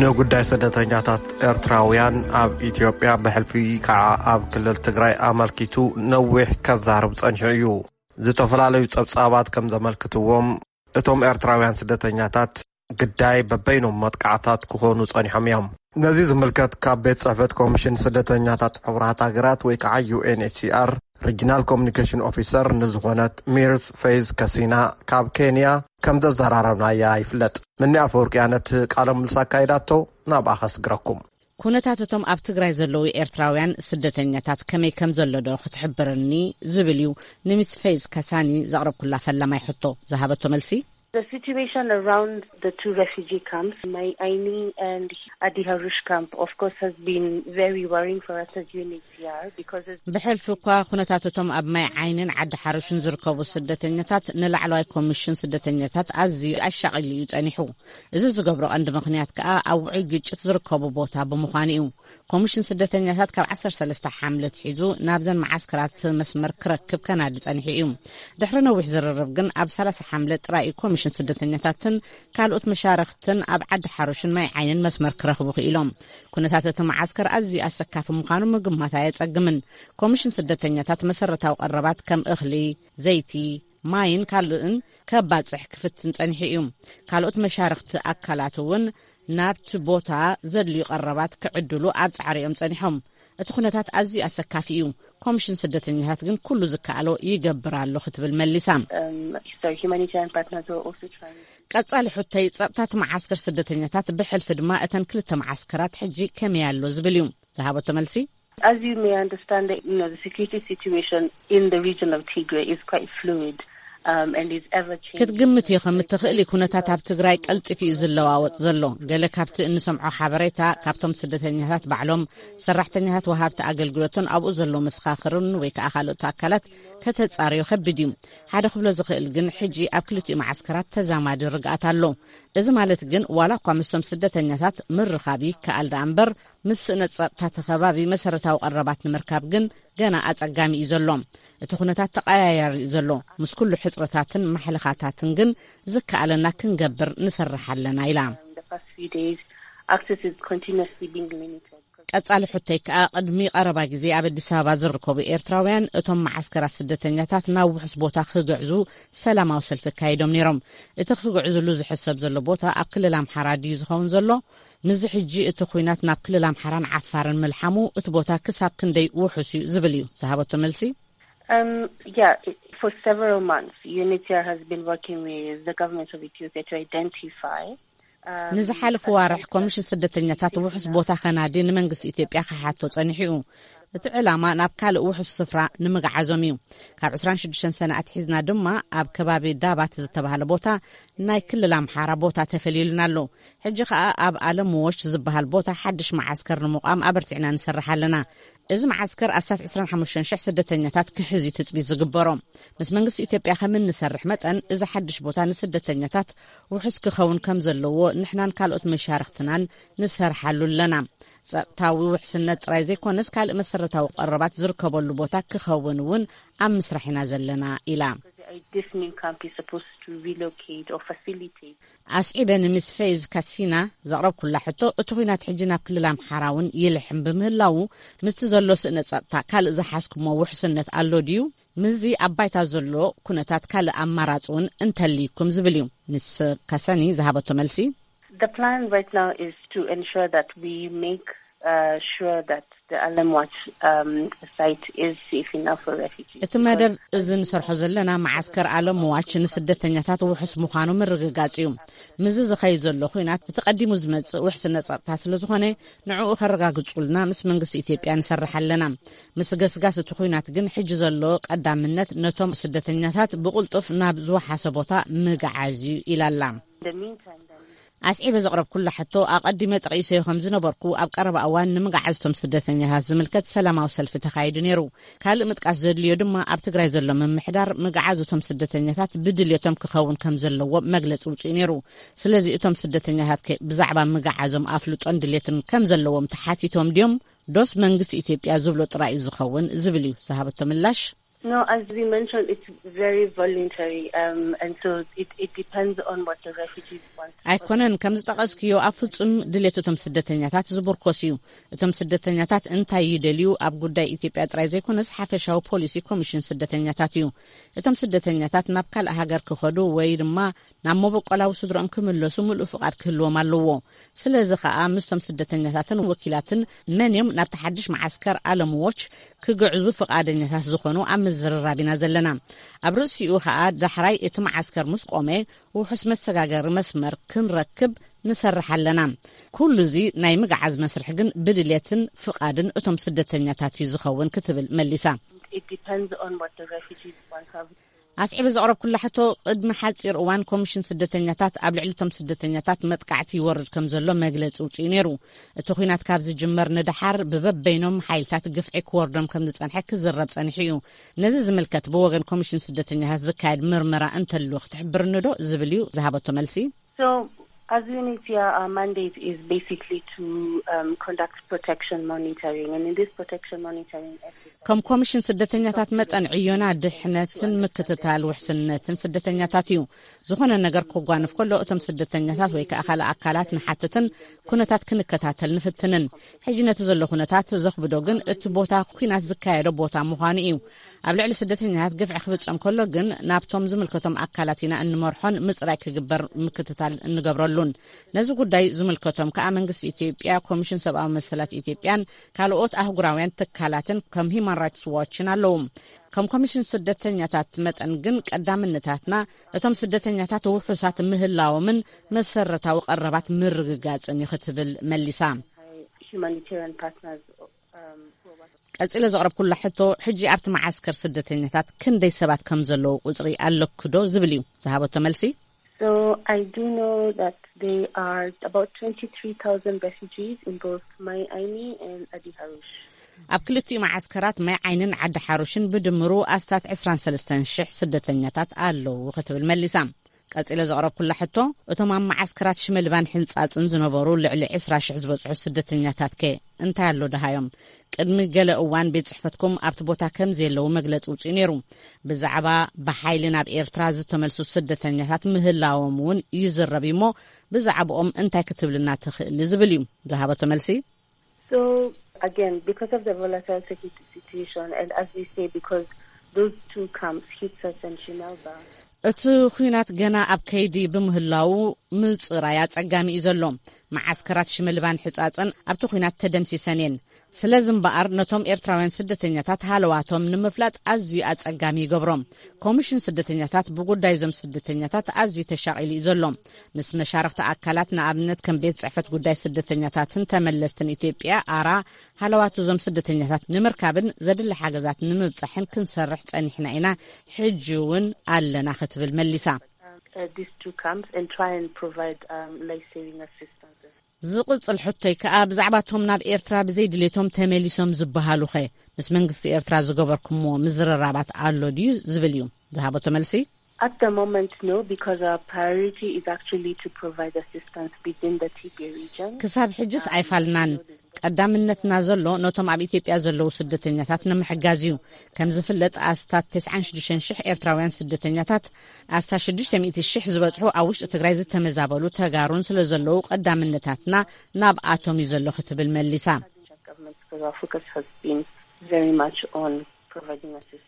ንጉዳይ ስደተኛታት ኤርትራውያን ኣብ ኢትዮጵያ፣ ብሕልፊ ከዓ ኣብ ክልል ትግራይ ኣመልኪቱ ነዊሕ ከዛርብ ጸኒሑ እዩ። ዝተፈላለዩ ጸብጻባት ከም ዘመልክትዎም፣ እቶም ኤርትራውያን ስደተኛታት ግዳይ በበይኖም መጥቃዕታት ክኾኑ ጸኒሖም እዮም። ነዚ ዝምልከት፣ ካብ ቤት ጽሕፈት ኮሚሽን ስደተኛታት ሕቡራት ሃገራት ወይ ከዓ ዩ ኤን ኤች ሲ ኣር ሪጅናል ኮሚኒኬሽን ኦፊሰር ንዝኾነት ሚርስ ፌዝ ከሲና ካብ ኬንያ ከም ዘዘራረብናያ ይፍለጥ። ምኒ ኣፈወርቅያ ነቲ ቃለ ምልልስ ኣካይዳቶ፣ ናብኣ ከስግረኩም። ኩነታት እቶም ኣብ ትግራይ ዘለዉ ኤርትራውያን ስደተኛታት ከመይ ከም ዘሎ ዶ ክትሕብርኒ ዝብል እዩ ንሚስ ፌዝ ከሳኒ ዘቕረብኩላ ፈላማይ ሕቶ። ዝሃበቶ መልሲ፣ The situation around the two refugee camps, Mai Aini and Adi Harush camp, of course, has been very worrying for us as U N H C R because it's ብሕልፊ እኳ ኩነታት እቶም ኣብ ማይ ዓይንን ዓዲ ሓሩሽን ዝርከቡ ስደተኛታት ንላዕለዋይ ኮሚሽን ስደተኛታት ኣዝዩ ኣሻቒሉ እዩ ጸኒሑ። እዚ ዝገብሮ ቀንዲ ምኽንያት ከኣ ኣብ ውዑይ ግጭት ዝርከቡ ቦታ ብምዃኑ እዩ። ኮሚሽን ስደተኛታት ካብ ዓሰርተ ሰለስተ ሓምለ ኣትሒዙ ናብዘን መዓስከራት መስመር ክረክብ ከናዲ ጸኒሑ እዩ። ድሕሪ ነዊሕ ዝርርብ ግን ኣብ ሰላሳ ሓምለ ጥራይ እዩ ኮሚሽን ስደተኛታትን ካልኦት መሻርኽትን ኣብ ዓዲ ሓሩሽን ማይ ዓይንን መስመር ክረኽቡ ክኢሎም። ኩነታት እቲ መዓስከር ኣዝዩ ኣሰካፊ ምዃኑ ምግማት ኣየጸግምን። ኮሚሽን ስደተኛታት መሰረታዊ ቀረባት ከም እኽሊ፣ ዘይቲ፣ ማይን ካልእን ከባጽሕ ክፍትን ጸኒሑ እዩ። ካልኦት መሻርኽቲ ኣካላት እውን ናብቲ ቦታ ዘድልዩ ቀረባት ክዕድሉ ኣብ ጻዕሪ እዮም ጸኒሖም። እቲ ኩነታት ኣዝዩ ኣሰካፊ እዩ። ኮሚሽን ስደተኛታት ግን ኩሉ ዝከኣሎ ይገብር ኣሎ ክትብል መሊሳ። Um, so humanitarian partners are also trying. ቀጻሊ ሕቶይ ጸጥታት መዓስከር ስደተኛታት ብሕልፊ ድማ እተን ክልተ መዓስከራት ሕጂ ከመይ ኣሎ ዝብል እዩ። ዝሃበቶ መልሲ፣ As you may understand, the, you know, the security situation in the region of Tigray is quite fluid, um, and is ever changing. ክትግምት ኢኺ ከም እትኽእሊ ኩነታት ኣብ ትግራይ ቀልጢፉ እዩ ዝለዋወጥ ዘሎ። ገለ ካብቲ እንሰምዖ ሓበሬታ ካብቶም ስደተኛታት ባዕሎም፣ ሰራሕተኛታት ወሃብቲ ኣገልግሎትን ኣብኡ ዘሎ መሰኻኽርን ወይ ከዓ ካልኦት ኣካላት ከተጻርዮ ከቢድ እዩ። ሓደ ክብሎ ዝኽእል ግን ሕጂ ኣብ ክልቲኡ መዓስከራት ተዛማዲ ርግኣት ኣሎ። እዚ ማለት ግን ዋላ እኳ ምስቶም ስደተኛታት ምርኻብ ይከኣል ደኣ እምበር ምስ ስእነት ጸጥታ እቲ ከባቢ መሰረታዊ ቀረባት ንምርካብ ግን ገና ኣጸጋሚ እዩ ዘሎ። እቲ ኩነታት ተቐያያሪ እዩ ዘሎ። ምስ ኩሉ ሕጽረታትን ማሕለኻታትን ግን ዝከኣለና ክንገብር ንሰርሕ ኣለና ኢላ። The past few days, access is continuously being limited. ቀጻሊ ሕቶይ ከኣ፣ ቅድሚ ቀረባ ግዜ ኣብ ኣዲስ ኣበባ ዝርከቡ ኤርትራውያን እቶም መዓስከራት ስደተኛታት ናብ ውሑስ ቦታ ክግዕዙ ሰላማዊ ሰልፊ ኣካይዶም ነይሮም። እቲ ክግዕዝሉ ዝሕሰብ ዘሎ ቦታ ኣብ ክልል ኣምሓራ ድዩ ዝኸውን ዘሎ? ምስዚ ሕጂ እቲ ኲናት ናብ ክልል ኣምሓራን ዓፋርን ምልሓሙ፣ እቲ ቦታ ክሳብ ክንደይ ውሑስ እዩ ዝብል እዩ ዝሃበቶ መልሲ። Um, yeah, it, for several months, U N H C R has been working with the government of Ethiopia to identify. Um, ንዝሓለፉ ዋርሕ ኮሚሽን ስደተኛታት ውሑስ ቦታ ከናዲ ንመንግስቲ ኢትዮጵያ ክሓቶ ጸኒሑ እዩ። እቲ ዕላማ ናብ ካልእ ውሑስ ስፍራ ንምግዓዞም እዩ። ካብ ዕስራን ሽዱሽተን ሰነ ኣትሒዝና ድማ ኣብ ከባቢ ዳባት ዝተባህለ ቦታ ናይ ክልል ኣምሓራ ቦታ ተፈልዩልና ኣሎ። ሕጂ ከኣ ኣብ ኣለምዎሽ ዝበሃል ቦታ ሓድሽ መዓስከር ንምቋም ኣበርቲዕና ንሰርሕ ኣለና። እዚ መዓስከር ኣስታት ዕስራን ሓሙሽተን ሽሕ ስደተኛታት ክሕዝ እዩ ትጽቢት ዝግበሮ። ምስ መንግስቲ ኢትዮጵያ ከም እንሰርሕ መጠን፣ እዚ ሓድሽ ቦታ ንስደተኛታት ውሑስ ክኸውን ከም ዘለዎ ንሕናን ካልኦት መሻርኽትናን ንሰርሓሉ ኣለና። ጸጥታዊ ውሕስነት ጥራይ ዘይኮነስ፣ ካልእ መሰረታዊ ቀረባት ዝርከበሉ ቦታ ክኸውን እውን ኣብ ምስራሕ ኢና ዘለና ኢላ። This new camp is supposed to relocate or facilitate. ኣስዒበ ንሚስ ፌዝ ካሲና ዘቕረብኩላ ሕቶ፣ እቲ ኲናት ሕጂ ናብ ክልል ኣምሓራ እውን ይልሕም ብምህላዉ፣ ምስቲ ዘሎ ስእነ ጸጥታ ካልእ ዝሓዝኩሞ ውሕስነት ኣሎ ድዩ? ምስዚ ኣብ ባይታ ዘሎ ኩነታት ካልእ ኣማራጺ እውን እንተልይኩም ዝብል እዩ። ሚስ ካሰኒ ዝሃበቶ መልሲ። The plan right now is to ensure that we make uh, sure that the Alam Watch um, site is safe enough for refugees. እቲ መደብ እዚ ንሰርሖ ዘለና መዓስከር ኣለም ዋች ንስደተኛታት ውሑስ ምዃኑ ምርግጋጽ እዩ። ምስዚ ዝኸይድ ዘሎ ኲናት እቲ ቀዲሙ ዝመጽእ ውሕስነት ጸጥታ ስለ ዝኾነ፣ ንዕኡ ከረጋግጹልና ምስ መንግስቲ ኢትዮጵያ ንሰርሕ ኣለና። ምስ ገስጋስ እቲ ኲናት ግን፣ ሕጂ ዘሎ ቀዳምነት ነቶም ስደተኛታት ብቕልጡፍ ናብ ዝወሓሰ ቦታ ምግዓዝ እዩ ኢላ ኣላ። In the meantime, then, ኣስዒበ ዘቕረብኩላ ሕቶ፣ ኣቐዲመ ጠቒሰዮ ከም ዝነበርኩ፣ ኣብ ቀረባ እዋን ንምግዓዝ እቶም ስደተኛታት ዝምልከት ሰላማዊ ሰልፊ ተኻይዱ ነይሩ። ካልእ ምጥቃስ ዘድልዮ ድማ፣ ኣብ ትግራይ ዘሎ ምምሕዳር ምግዓዝ እቶም ስደተኛታት ብድልየቶም ክኸውን ከም ዘለዎ መግለጺ ውጽኡ ነይሩ። ስለዚ እቶም ስደተኛታት ከ ብዛዕባ ምግዓዞም ኣፍልጦን ድልየትን ከም ዘለዎም ተሓቲቶም ድዮም? ዶስ መንግስቲ ኢትዮጵያ ዝብሎ ጥራይ እዩ ዝኸውን ዝብል እዩ ዝሃበቶ ምላሽ። No, as we mentioned, it's very voluntary, um, and so it, it depends on what the refugees want. ኣይኮነን፣ ከም ዝጠቐስክዮ ኣብ ፍጹም ድሌት እቶም ስደተኛታት ዝምርኮስ እዩ። እቶም ስደተኛታት እንታይ ይደልዩ ኣብ ጉዳይ ኢትዮጵያ ጥራይ ዘይኮነስ፣ ሓፈሻዊ ፖሊሲ ኮሚሽን ስደተኛታት እዩ። እቶም ስደተኛታት ናብ ካልእ ሃገር ክኸዱ ወይ ድማ ናብ መበቆላዊ ስድሮኦም ክምለሱ ምሉእ ፍቓድ ክህልዎም ኣለዎ። ስለዚ ኸኣ ምስቶም ስደተኛታትን ወኪላትን መን እዮም ናብቲ ሓድሽ መዓስከር ኣለም ዎች ክግዕዙ ፍቓደኛታት ዝኾኑ ኣብ ምዝርራብ ኢና ዘለና። ኣብ ርእሲኡ ኸኣ ዳሕራይ እቲ መዓስከር ምስ ቆመ ውሑስ መሰጋገሪ መስመር ክንረክብ ንሰርሕ ኣለና። ኩሉ እዚ ናይ ምግዓዝ መስርሕ ግን ብድልየትን ፍቓድን እቶም ስደተኛታት እዩ ዝኸውን ክትብል መሊሳ። It depends on what the refugees want. ኣስዒበ ዘቕረብኩላ ሕቶ፣ ቅድሚ ሓጺር እዋን ኮሚሽን ስደተኛታት ኣብ ልዕሊ እቶም ስደተኛታት መጥቃዕቲ ይወርድ ከም ዘሎ መግለጺ ውጽኡ ነይሩ። እቲ ኲናት ካብ ዝጅመር ንደሓር ብበበይኖም ሓይልታት ግፍዒ ክወርዶም ከም ዝጸንሐ ክዝረብ ጸኒሑ እዩ። ነዚ ዝምልከት ብወገን ኮሚሽን ስደተኛታት ዝካየድ ምርመራ እንተልዎ ክትሕብርኒ ዶ ዝብል እዩ ዝሃበቶ መልሲ። So, as U N H C R, our mandate is basically to um, conduct protection monitoring, and in this protection monitoring exercise, ከም ኮሚሽን ስደተኛታት መጠን ዕዮና ድሕነትን ምክትታል ውሕስነትን ስደተኛታት እዩ። ዝኾነ ነገር ክጓንፍ ከሎ እቶም ስደተኛታት ወይ ከኣ ካልእ ኣካላት ንሓትትን ኩነታት ክንከታተል ንፍትንን። ሕጂ ነቲ ዘሎ ኩነታት ዘኽብዶ ግን እቲ ቦታ ኲናት ዝካየዶ ቦታ ምዃኑ እዩ። ኣብ ልዕሊ ስደተኛታት ግፍዒ ክፍጸም ከሎ ግን ናብቶም ዝምልከቶም ኣካላት ኢና እንመርሖን ምጽራይ ክግበር ምክትታል እንገብረሉን። ነዚ ጉዳይ ዝምልከቶም ከኣ መንግስቲ ኢትዮጵያ፣ ኮሚሽን ሰብኣዊ መሰላት ኢትዮጵያን ካልኦት ኣህጉራውያን ትካላትን ከም ሂማን ራይትስ ዋችን ኣለዉ። ከም ኮሚሽን ስደተኛታት መጠን ግን ቀዳምነታትና እቶም ስደተኛታት ውሑሳት ምህላዎምን መሰረታዊ ቀረባት ምርግጋጽን እዩ ክትብል መሊሳ። humanitarian partners. Um, who are ቀጺለ ዘቕረብኩላ ሕቶ፣ ሕጂ ኣብቲ መዓስከር ስደተኛታት ክንደይ ሰባት ከም ዘለዉ ቁጽሪ ኣለኩ ዶ ዝብል እዩ ዝሃበቶ መልሲ። So I do know that there are about twenty-three thousand refugees in both Mai Aini and Adi Harush. ኣብ ክልቲኡ መዓስከራት ማይ ዓይንን ዓዲ ሓሩሽን ብድምሩ ኣስታት ዕስራን ሰለስተን ሽሕ ስደተኛታት ኣለዉ ክትብል መሊሳ። ቀጺለ ዘቕረብኩላ ሕቶ፣ እቶም ኣብ መዓስከራት ሽመልባን ሕንጻጽን ዝነበሩ ልዕሊ ዕስራ ሽሕ ዝበጽሑ ስደተኛታት ከ እንታይ ኣሎ ደሃዮም? ቅድሚ ገለ እዋን ቤት ጽሕፈትኩም ኣብቲ ቦታ ከም ዘየለዉ መግለጺ ውጽኡ ነይሩ። ብዛዕባ ብሓይሊ ናብ ኤርትራ ዝተመልሱ ስደተኛታት ምህላዎም እውን ይዝረብ እዩ እሞ፣ ብዛዕባኦም እንታይ ክትብልና ትኽእሊ? ዝብል እዩ ዝሃበቶ መልሲ። So, again, because of the volatile security situation, and as we say, because those two camps, Hitsas and Shimelba, እቲ ኹናት ገና ኣብ ከይዲ ብምህላዉ፣ ምጽራይ ኣጸጋሚ እዩ ዘሎ። መዓስከራት ሽመልባን ሕጻጽን ኣብቲ ኹናት ተደምሲሰን እየን። ስለዚ እምበኣር፣ ነቶም ኤርትራውያን ስደተኛታት ሃለዋቶም ንምፍላጥ ኣዝዩ ኣጸጋሚ ይገብሮ። ኮሚሽን ስደተኛታት ብጉዳይ እዞም ስደተኛታት ኣዝዩ ተሻቒሉ እዩ ዘሎ። ምስ መሻርኽቲ ኣካላት፣ ንኣብነት ከም ቤት ጽሕፈት ጉዳይ ስደተኛታትን ተመለስትን ኢትዮጵያ፣ ኣራ፣ ሃለዋት እዞም ስደተኛታት ንምርካብን ዘድሊ ሓገዛት ንምብጻሕን ክንሰርሕ ጸኒሕና ኢና፣ ሕጂ እውን ኣለና ክትብል መሊሳ። uh, these two camps and try and provide um, life-saving assistance. ዝቕጽል ሕቶይ ከኣ፣ ብዛዕባቶም ናብ ኤርትራ ብዘይድሌቶም ተመሊሶም ዝበሃሉኸ፣ ምስ መንግስቲ ኤርትራ ዝገበርኩምዎ ምዝርራባት ኣሎ ድዩ ዝብል እዩ ዝሃበቶ መልሲ። At the moment, no, because our priority is actually to provide assistance within the Tigray region. ክሳብ ሕጅስ ኣይፋልናን። ቀዳምነትና ዘሎ ነቶም ኣብ ኢትዮጵያ ዘለዉ ስደተኛታት ንምሕጋዝ እዩ። ከም ዝፍለጥ፣ ኣስታት ተስዓን ሽዱሽተን ሽሕ ኤርትራውያን ስደተኛታት፣ ኣስታት ሽዱሽተ ሚእቲ ሽሕ ዝበጽሑ ኣብ ውሽጢ ትግራይ ዝተመዛበሉ ተጋሩን ስለ ዘለዉ፣ ቀዳምነታትና ናብኣቶም እዩ ዘሎ ክትብል መሊሳ። Government, because our focus has been very much on providing assistance.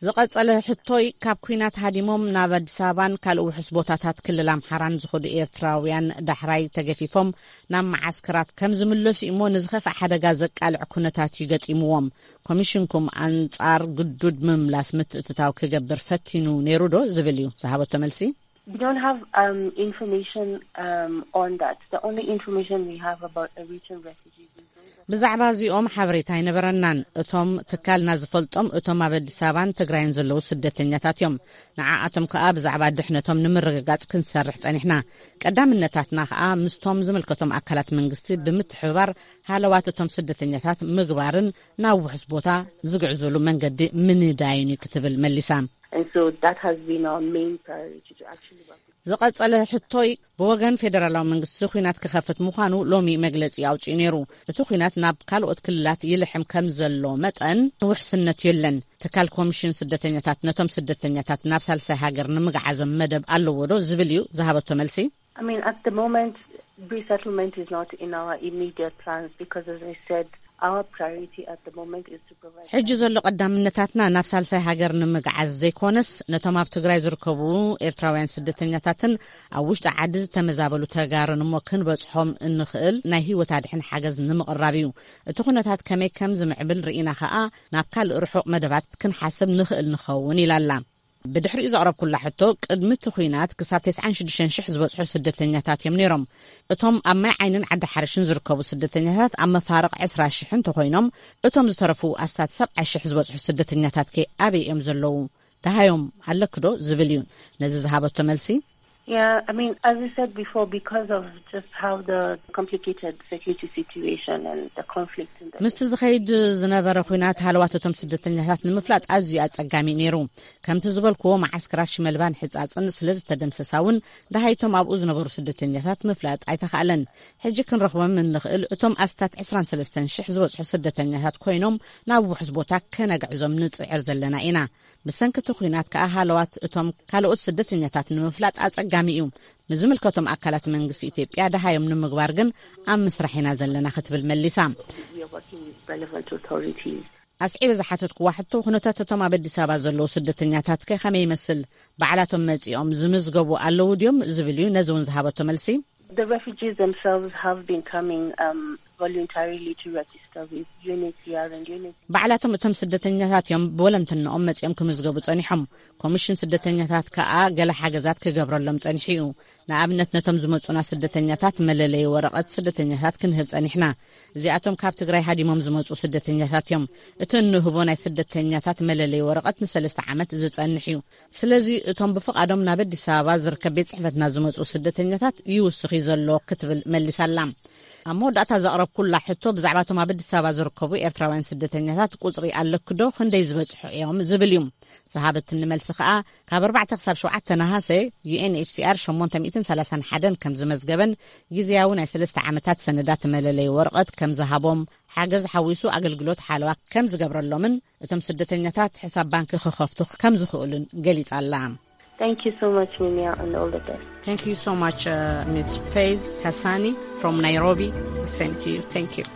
ዝቐጸለ ሕቶይ፣ ካብ ኲናት ሃዲሞም ናብ ኣዲስ ኣበባን ካልእ ውሑስ ቦታታት ክልል ኣምሓራን ዝኸዱ ኤርትራውያን ዳሕራይ ተገፊፎም ናብ መዓስከራት ከም ዝምለሱ እሞ፣ ንዝኸፍእ ሓደጋ ዘቃልዕ ኩነታት እዩ ገጢምዎም። ኮሚሽንኩም ኣንጻር ግዱድ ምምላስ ምትእትታው ክገብር ፈቲኑ ነይሩ ዶ ዝብል እዩ ዝሃበቶ መልሲ። We don't have um, information um, on that. The only information we have about Eritrean refugees is those that ብዛዕባ እዚኦም ሓበሬታ ኣይነበረናን። እቶም ትካልና ዝፈልጦም፣ እቶም ኣብ ኣዲስ ኣበባን ትግራይን ዘለዉ ስደተኛታት እዮም። ንዓኣቶም ከኣ ብዛዕባ ድሕነቶም ንምርግጋጽ ክንሰርሕ ጸኒሕና። ቀዳምነታትና ከኣ ምስቶም ዝምልከቶም ኣካላት መንግስቲ ብምትሕብባር፣ ሃለዋት እቶም ስደተኛታት ምግባርን ናብ ውሑስ ቦታ ዝግዕዙሉ መንገዲ ምንዳይን እዩ ክትብል መሊሳ። And so that has been our main priority, to actually work with ዝቐጸለ ሕቶይ፣ ብወገን ፌደራላዊ መንግስቲ ኲናት ክኸፍት ምዃኑ ሎሚ መግለጺ ኣውጺኡ ነይሩ። እቲ ኲናት ናብ ካልኦት ክልላት ይልሕም ከም ዘሎ መጠን፣ ውሕስነት የለን። ትካል ኮሚሽን ስደተኛታት ነቶም ስደተኛታት ናብ ሳልሳይ ሃገር ንምግዓዞም መደብ ኣለዎ ዶ ዝብል እዩ ዝሃበቶ መልሲ። I mean, at the moment, resettlement is not in our immediate plans because, as I said, our priority at the moment is to provide. ሕጂ ዘሎ ቀዳምነታትና ናብ ሳልሳይ ሃገር ንምግዓዝ ዘይኮነስ፣ ነቶም ኣብ ትግራይ ዝርከቡ ኤርትራውያን ስደተኛታትን ኣብ ውሽጢ ዓዲ ዝተመዛበሉ ተጋሩን እሞ ክንበጽሖም እንኽእል ናይ ህይወት ኣድሕን ሓገዝ ንምቕራብ እዩ። እቲ ኩነታት ከመይ ከም ዝምዕብል ርኢና ከኣ፣ ናብ ካልእ ርሑቕ መደባት ክንሓስብ ንኽእል ንኸውን ኢላ ኣላ። ብድሕሪኡ ዘቕረብኩላ ሕቶ፣ ቅድሚ እቲ ኲናት ክሳብ ተስዓን ሽዱሽተን ሽሕ ዝበጽሑ ስደተኛታት እዮም ነይሮም። እቶም ኣብ ማይ ዓይንን ዓዲ ሓርሽን ዝርከቡ ስደተኛታት ኣብ መፋርቕ ዕስራ ሽሕ እንተኾይኖም፣ እቶም ዝተረፉ ኣስታት ሰብዓ ሽሕ ዝበጽሑ ስደተኛታት ከ ኣበይ እዮም ዘለዉ? ደሃዮም ኣለኪ ዶ ዝብል እዩ ነዚ ዝሃበቶ መልሲ። Yeah, I mean, as we said before, because of just how the complicated security situation and the conflict in the ምስቲ ዝኸይድ ዝነበረ ኲናት፣ ሃለዋት እቶም ስደተኛታት ንምፍላጥ ኣዝዩ ኣጸጋሚ እዩ ነይሩ። ከምቲ ዝበልክዎ፣ መዓስከራት ሽመልባን ሕጻጽን ስለ ዝተደምሰሳ እውን፣ ደሃይቶም ኣብኡ ዝነበሩ ስደተኛታት ምፍላጥ ኣይተኻእለን። ሕጂ ክንረኽቦም እንኽእል፣ እቶም ኣስታት ዕስራን ሰለስተን ሽሕ ዝበጽሑ ስደተኛታት ኮይኖም፣ ናብ ውሑስ ቦታ ከነግዕዞም ንጽዕር ዘለና ኢና። ብሰንኪ እቲ ኲናት ከኣ፣ ሃለዋት እቶም ካልኦት ስደተኛታት ንምፍላጥ ኣጸጋሚ እዩ። ንዝምልከቶም ኣካላት መንግስቲ ኢትዮጵያ ደሃዮም ንምግባር ግን ኣብ ምስራሕ ኢና ዘለና ክትብል መሊሳ። We are working with relevant authorities. ኣስዒበ ዝሓተትክዋ ሕቶ፣ ኩነታት እቶም ኣብ ኣዲስ ኣበባ ዘለዉ ስደተኛታት ከ ከመይ ይመስል? ባዕላቶም መጺኦም ዝምዝገቡ ኣለዉ ድዮም ዝብል እዩ ነዚ እውን ዝሃበቶ መልሲ። The refugees themselves have been coming um, voluntarily to register with U N H C R and U N H C R. ባዕላቶም እቶም ስደተኛታት እዮም ብወለንትንኦም መጺኦም ክምዝገቡ ጸኒሖም። ኮሚሽን ስደተኛታት ከኣ ገለ ሓገዛት ክገብረሎም ጸኒሑ እዩ። ንኣብነት፣ ነቶም ዝመጹና ስደተኛታት መለለዪ ወረቐት ስደተኛታት ክንህብ ጸኒሕና። እዚኣቶም ካብ ትግራይ ሃዲሞም ዝመጹ ስደተኛታት እዮም። እቲ እንህቦ ናይ ስደተኛታት መለለዪ ወረቐት ንሰለስተ ዓመት ዝጸንሕ እዩ። ስለዚ፣ እቶም ብፍቓዶም ናብ ኣዲስ ኣበባ ዝርከብ ቤት ጽሕፈትና ዝመጹ ስደተኛታት ይውስኽ እዩ ዘሎ ክትብል መሊሳ ኣላ። ኣብ መወዳእታ ዘቕረብኩላ ሕቶ፣ ብዛዕባቶም ኣብ ኣዲስ ኣበባ ዝርከቡ ኤርትራውያን ስደተኛታት ቁጽሪ ኣለክዶ፣ ክንደይ ዝበጽሑ እዮም ዝብል እዩ። ዝሃበትኒ መልሲ ከኣ፣ ካብ ኣርባዕተ ክሳብ ሸውዓተ ነሃሰ፣ ዩ ኤን ኤች ሲ ኣር ሸሞንተ ሚእትን ሰላሳን ሓደን ከም ዝመዝገበን፣ ግዝያዊ ናይ ሰለስተ ዓመታት ሰነዳት መለለይ ወረቐት ከም ዝሃቦም፣ ሓገዝ ሓዊሱ ኣገልግሎት ሓለዋ ከም ዝገብረሎምን፣ እቶም ስደተኛታት ሕሳብ ባንኪ ክኸፍቱ ከም ዝኽእሉን ገሊጻ ኣላ። Thank you so much, Mimia, and all the best. Thank you so much, uh, Miss Faiz Hassani from Nairobi. Same to you. Thank you.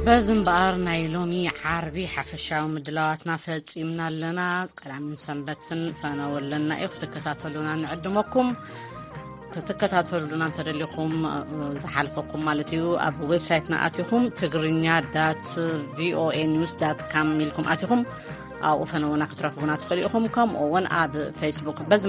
በዚ እምበኣር፣ ናይ ሎሚ ዓርቢ ሓፈሻዊ ምድላዋትና ፈጺምና ኣለና። ቀዳምን ሰንበትን ፈነወ ኣለና እዩ፣ ክትከታተሉና ንዕድመኩም። ክትከታተሉና እንተደሊኹም፣ እ፣ ዝሓልፈኩም ማለት እዩ፣ ኣብ ዌብሳይትና ኣቲኹም፣ ትግርኛ ዳት ቪኦኤ ኒውስ ዳት ካም ኢልኩም ኣቲኹም፣ ኣብኡ ፈነውና ክትረኽቡና ትኽእሉ ኢኹም። ከምኡ እውን ኣብ ፌስቡክ። በዚ እምበኣር፣